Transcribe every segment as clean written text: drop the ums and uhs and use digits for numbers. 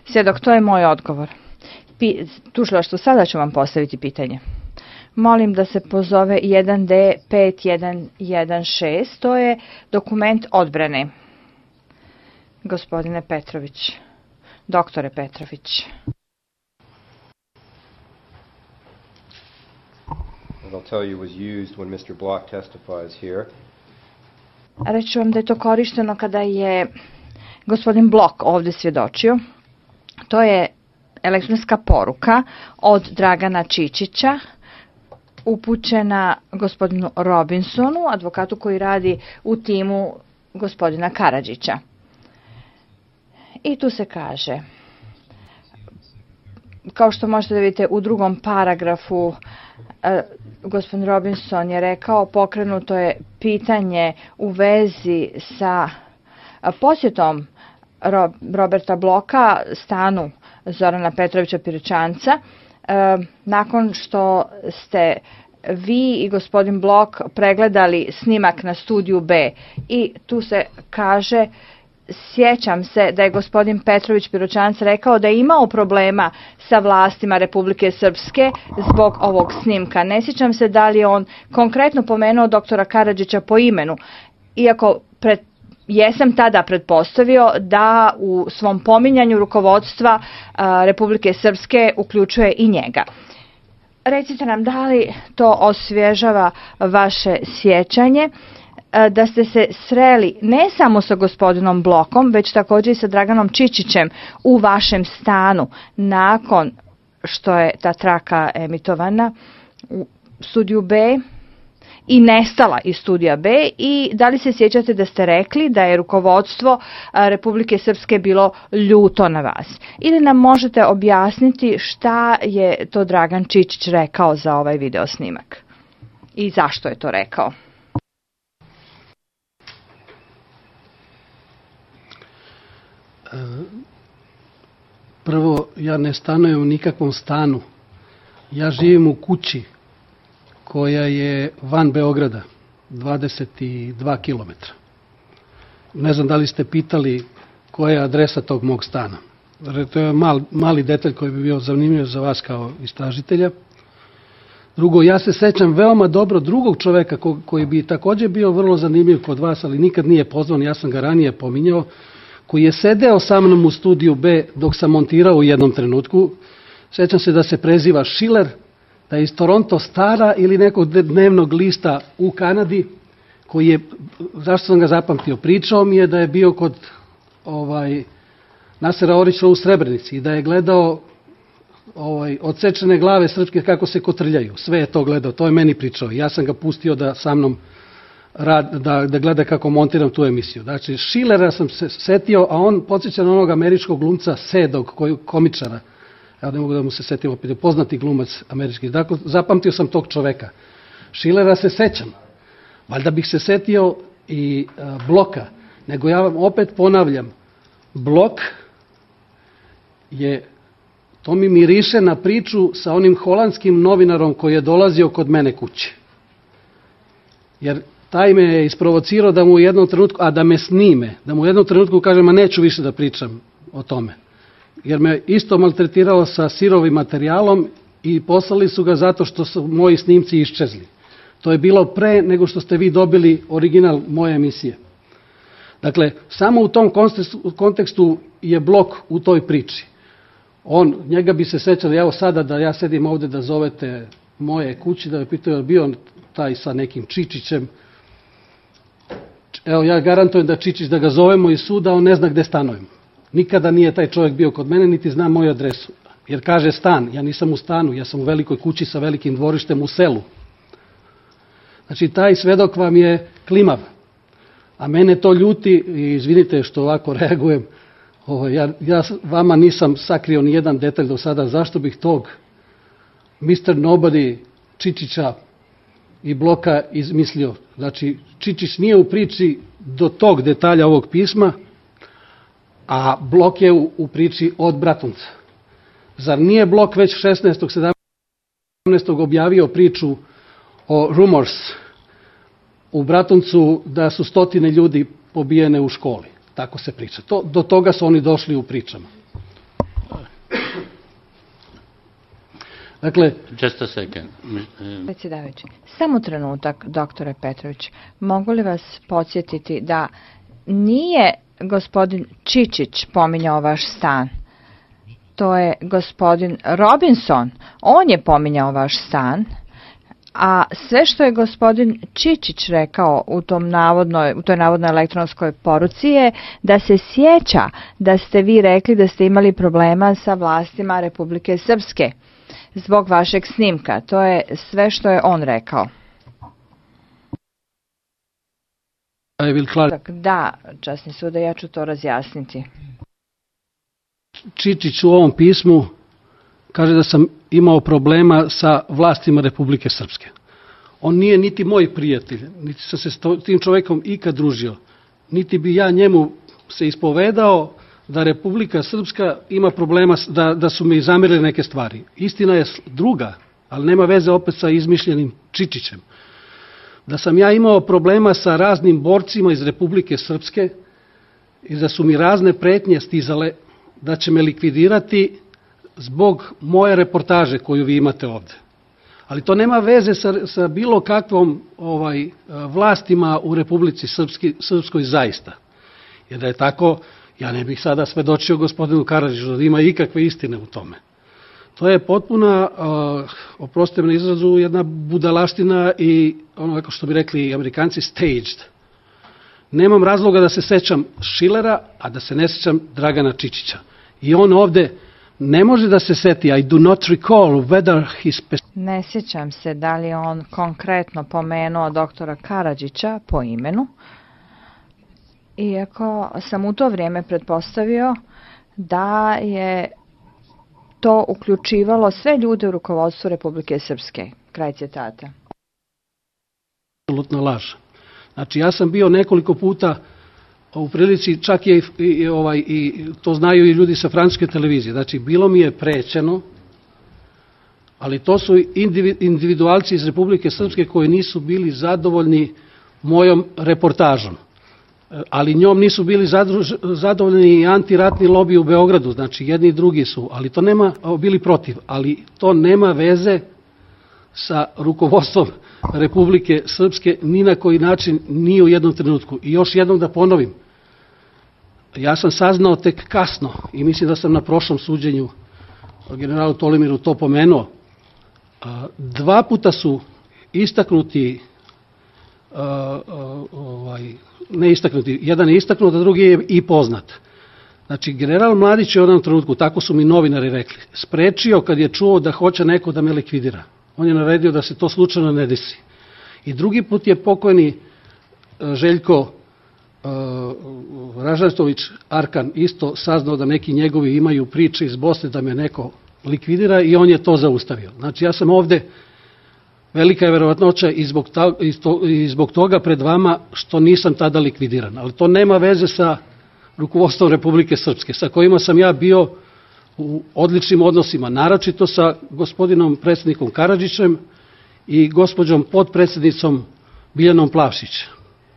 Svjedok, to je moj odgovor. Tužilaštvo, sada ću vam postaviti pitanje. Molim da se pozove 1D5116, to je dokument odbrane. Gospodine Petrović, doktore Petrović. I'll tell you was used when Mr. Block testifies here. Reći ću vam da je to korišteno kada je gospodin Block ovdje svjedočio. To je elektronska poruka od Dragana Čičića upućena gospodinu Robinsonu, advokatu koji radi u timu gospodina Karadžića. I tu se kaže, kao što možete da vidite u drugom paragrafu, gospodin Robinson je rekao, pokrenuto je pitanje u vezi sa posjetom Roberta Bloka stanu Zorana Petrovića Piroćanca, nakon što ste vi i gospodin Blok pregledali snimak na studiju B. I tu se kaže, sjećam se da je gospodin Petrović Piroćanac rekao da je imao problema sa vlastima Republike Srpske zbog ovog snimka. Ne sjećam se da li je on konkretno pomenuo doktora Karadžića po imenu, iako jesam tada pretpostavio da u svom pominjanju rukovodstva Republike Srpske uključuje i njega. Recite nam, da li to osvježava vaše sjećanje da ste se sreli ne samo sa gospodinom Blokom, već također i sa Draganom Čičićem u vašem stanu nakon što je ta traka emitovana u studiju B i nestala iz studija B, i da li se sjećate da ste rekli da je rukovodstvo Republike Srpske bilo ljuto na vas? Ili nam možete objasniti šta je to Dragan Čičić rekao za ovaj video snimak i zašto je to rekao? Prvo, ja ne stanujem u nikakvom stanu. Ja živim u kući koja je van Beograda, 22 km. Ne znam da li ste pitali koja je adresa tog mog stana. To je mali detalj koji bi bio zanimljiv za vas kao istražitelja. Drugo, ja se sećam veoma dobro drugog čoveka koji bi također bio vrlo zanimljiv kod vas, ali nikad nije pozvan, ja sam ga ranije pominjao, koji je sedeo sa mnom u studiju B dok sam montirao u jednom trenutku. Sećam se da se preziva Schiller, da je iz Toronto Stara ili nekog dnevnog lista u Kanadi, koji je, zašto sam ga zapamtio, pričao mi je da je bio kod Nasera Orića u Srebrenici i da je gledao odsečene glave srpske kako se kotrljaju. Sve je to gledao, to je meni pričao. Ja sam ga pustio da sa mnom da gleda kako montiram tu emisiju. Znači, Schillera sam se setio, a on podsjeća na onog američkog glumca Sedog, komičara. Ja ne mogu da mu se setim opet, poznati glumac američki. Dakle, zapamtio sam tog čoveka. Schillera se sećam. Valjda bih se setio i Bloka. Nego ja vam opet ponavljam, Blok je, to mi miriše na priču sa onim holandskim novinarom koji je dolazio kod mene kući. Jer taj me je isprovocirao da mu u jednom trenutku, a da me snime, da mu u jednom trenutku kažem, a neću više da pričam o tome. Jer me isto maltretirao sa sirovim materijalom i poslali su ga zato što su moji snimci iščezli. To je bilo pre nego što ste vi dobili original moje emisije. Dakle, samo u tom kontekstu je Blok u toj priči. Njega bi se sećali, evo sada da ja sedim ovde da zovete moje kući, da me pitaju bio taj sa nekim Čičićem. Evo, ja garantujem da Čičić, da ga zovemo iz suda, on ne zna gde stanujem. Nikada nije taj čovjek bio kod mene, niti zna moju adresu. Jer kaže stan, ja nisam u stanu, ja sam u velikoj kući sa velikim dvorištem u selu. Znači, taj svedok vam je klimav. A mene to ljuti, i izvinite što ovako reagujem, ja vama nisam sakrio ni jedan detalj do sada, zašto bih tog Mr. Nobody, Čičića i Bloka izmislio. Znači, Čičić nije u priči do tog detalja ovog pisma, a Blok je u priči od Bratunca. Zar nije Blok već 16. 17. objavio priču o Rumors u Bratuncu da su 100 ljudi pobijene u školi? Tako se priča. Do toga su oni došli u pričama. Dakle, Just a second. Predsjedavajući, samo trenutak, doktore Petrović. Mogu li vas podsjetiti da nije gospodin Čičić pominjao vaš stan? To je gospodin Robinson. On je pominjao vaš stan. A sve što je gospodin Čičić rekao u toj navodnoj elektronskoj poruci je da se sjeća da ste vi rekli da ste imali problema sa vlastima Republike Srpske zbog vašeg snimka. To je sve što je on rekao. Da, časni sude, ja ću to razjasniti. Čičić u ovom pismu kaže da sam imao problema sa vlastima Republike Srpske. On nije niti moj prijatelj, niti sam se s tim čovekom ikad družio, niti bi ja njemu se ispovedao da Republika Srpska ima problema, da su mi zamerili neke stvari. Istina je druga, ali nema veze opet sa izmišljenim Čičićem. Da sam ja imao problema sa raznim borcima iz Republike Srpske i da su mi razne pretnje stizale da će me likvidirati zbog moje reportaže koju vi imate ovde. Ali to nema veze sa bilo kakvom vlastima u Republici Srpskoj zaista. Jer da je tako, ja ne bih sada svedočio gospodinu Karadžiću da ima ikakve istine u tome. To je potpuna, oprostite me na izrazu, jedna budalaština i ono što bi rekli Amerikanci staged. Nemam razloga da se sećam Šilera, a da se ne sećam Dragana Čičića. I on ovde ne može da se seti, I do not recall whether he... Ne sjećam se da li on konkretno pomenuo doktora Karadžića po imenu, iako sam u to vrijeme pretpostavio da je to uključivalo sve ljude u rukovodstvu Republike Srpske. Kraj citata. Apsolutna laž. Znači, ja sam bio nekoliko puta u prilici, čak je i to znaju i ljudi sa francuske televizije. Znači, bilo mi je prećeno, ali to su individualci iz Republike Srpske koji nisu bili zadovoljni mojom reportažom. Ali njom nisu bili zadovoljni i antiratni lobiji u Beogradu, znači jedni i drugi su, ali to nema, bili protiv, ali to nema veze sa rukovodstvom Republike Srpske ni na koji način, ni u jednom trenutku. I još jednom da ponovim, ja sam saznao tek kasno i mislim da sam na prošlom suđenju generalu Tolimiru to pomenuo. Dva puta su istaknuti, ne istaknuti, jedan je istaknut, a drugi je i poznat. Znači, general Mladić je u jednom trenutku, tako su mi novinari rekli, sprečio kad je čuo da hoće neko da me likvidira. On je naredio da se to slučajno ne desi. I drugi put je pokojni Željko Ražatović Arkan isto saznao da neki njegovi imaju priče iz Bosne da me neko likvidira i on je to zaustavio. Znači, ja sam ovde, velika je verovatnoća i zbog toga pred vama što nisam tada likvidiran. Ali to nema veze sa rukovodstvom Republike Srpske, sa kojima sam ja bio u odličnim odnosima, naročito sa gospodinom predsjednikom Karadžićem i gospođom potpredsjednicom Biljanom Plavšić,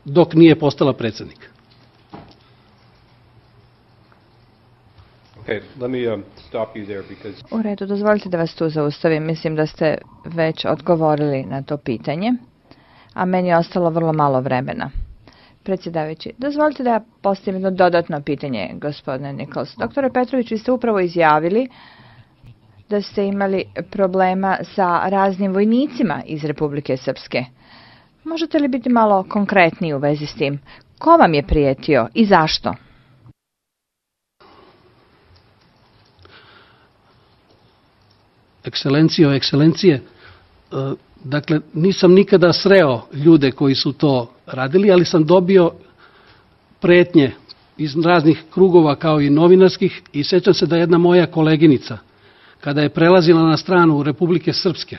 dok nije postala predsjednik. U redu, dozvolite da vas tu zaustavim. Mislim da ste već odgovorili na to pitanje, a meni je ostalo vrlo malo vremena. Predsjedavajući, dozvolite da ja postavim jedno dodatno pitanje, gospodine Nichols. Doktore Petrović, vi ste upravo izjavili da ste imali problema sa raznim vojnicima iz Republike Srpske. Možete li biti malo konkretniji u vezi s tim? Ko vam je prijetio i zašto? Ekscelencije, dakle, nisam nikada sreo ljude koji su to radili, ali sam dobio pretnje iz raznih krugova kao i novinarskih i sećam se da jedna moja koleginica, kada je prelazila na stranu Republike Srpske,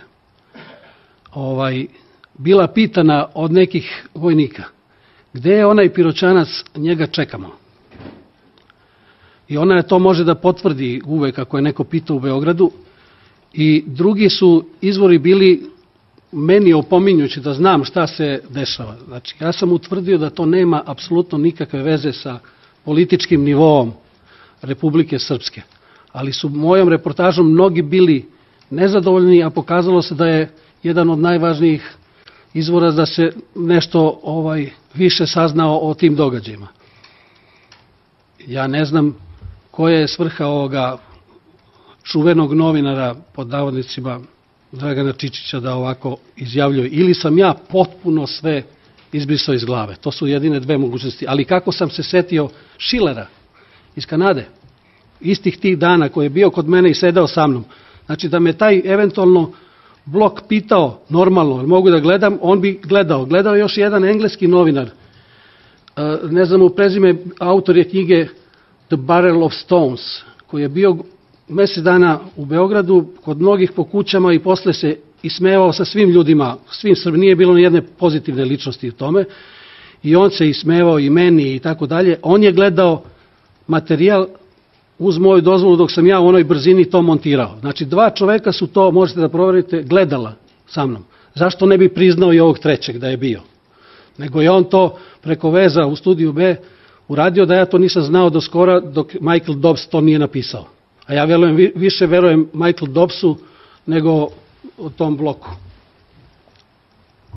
bila pitana od nekih vojnika, gde je onaj Piroćanac, njega čekamo. I ona to može da potvrdi uvek ako je neko pitao u Beogradu. I drugi su izvori bili meni opominjući da znam šta se dešava. Znači, ja sam utvrdio da to nema apsolutno nikakve veze sa političkim nivoom Republike Srpske. Ali su mojom reportažom mnogi bili nezadovoljni, a pokazalo se da je jedan od najvažnijih izvora da se nešto više saznao o tim događajima. Ja ne znam koja je svrha ovoga čuvenog novinara, pod navodnicima Dragana Čičića, da ovako izjavljuje. Ili sam ja potpuno sve izbrisao iz glave. To su jedine dve mogućnosti. Ali kako sam se setio Schillera iz Kanade, istih tih dana, koji je bio kod mene i sedao sa mnom, znači da me taj eventualno Blok pitao normalno, mogu da gledam, on bi gledao. Gledao još jedan engleski novinar, ne znam u prezime, autor je knjige The Barrel of Stones, koji je bio mesec dana u Beogradu, kod mnogih po kućama i posle se ismevao sa svim ljudima, svim Srbima, nije bilo ni jedne pozitivne ličnosti u tome, i on se ismevao i meni i tako dalje. On je gledao materijal uz moju dozvolu dok sam ja u onoj brzini to montirao. Znači, dva čoveka su to, možete da proverite, gledala sa mnom. Zašto ne bi priznao i ovog trećeg da je bio? Nego je on to preko veza u studiju B uradio, da ja to nisam znao do skora, dok Michael Dobbs to nije napisao. A ja više verujem Michael Dobbsu nego o tom Bloku.